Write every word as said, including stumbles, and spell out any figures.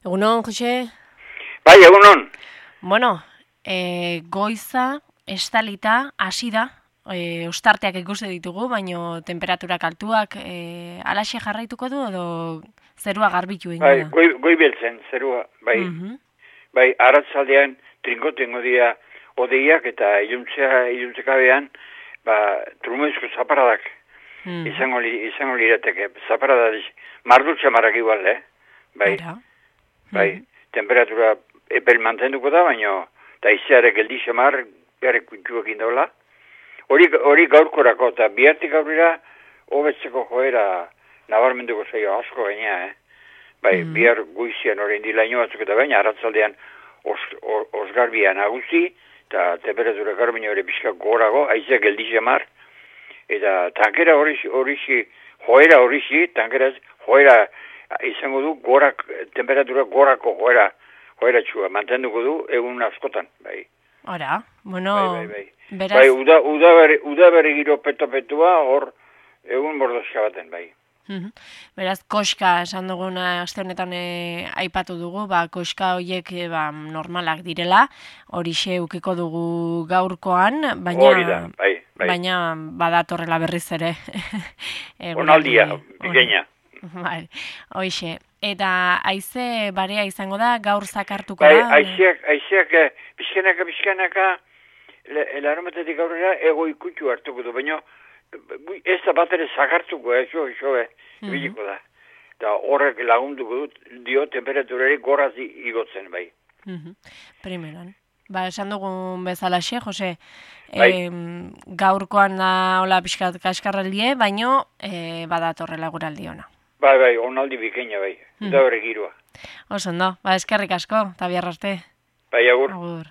Egunon, Jose? Bai, egunon. Bueno, e, goiza, estalita, hasi da, e, ostarteak ikusi ditugu, baino temperaturak altuak, e, alaxe jarraituko du edo zerua garbitu ingo Bai, da? goi, goi beltzen, zerua, bai. Mhm. Bai, arratzaldean trinko tengo dia odeiak eta iluntzea, iluntzekabean, ba, trumezko zaparadak Mhm. izango, li, izango lirateke. Zaparada, mardu txamarrak igual, eh? Bai, Ara. bai, Mhm. temperatura epel mantenduko da, baino, eta izeare geldi xamar, bere kuntxuak indola. Hori, hori gaurkorako, eta bihartik aurrera, hobetzeko joera nabarmenduko zaio asko gaina, eh? Bai, Mhm. bihar guizian orain dilaino batzuk eta baina, arratzaldean os, os, osgarbia nagusi, eta temperatura garbino ere pixka gorago, aizea geldi xamar, eta tankera horixi, horixi, joera horixi, tankera joera izango du, gorak, temperatura gorako joera, joera txua, mantenduko du egun askotan, bai. Ora, bueno, Bai, bai, bai. beraz... Bai, uda, uda, bere, uda bere giro peto-petua, hor egun bordoska baten, bai. Mhm. Beraz, koska esan duguna aste honetan e, aipatu dugu, ba, koska horiek e, ba, normalak direla, horixe ukiko dugu gaurkoan, baina Hori da, bai, bai. baina badatorrela berriz ere. Onaldia, bikaina. Bai, hoixe. Eta haize barea izango da, gaur zakartuko Bai, da? aizeak, aizeak, bizkanaka, bizkanaka, larometetik aurrera ego ikutxu hartuko du, baina ez da bat ere zakartuko, ez jo, jo, ibiliko da. Eta horrek lagunduko dut, dio temperaturari goraz igotzen, bai. Primeran. Ba, esan dugun bezalaxe, Jose, Bai. em, gaurkoan da hola pixkat kaskarraldie, baino e, badatorrela guraldi ona. Bai, bai, onaldi bikaina, bai. Da hori giroa. Oso ondo, ba, eskerrik asko, eta bihar arte. Bai, agur. Agur.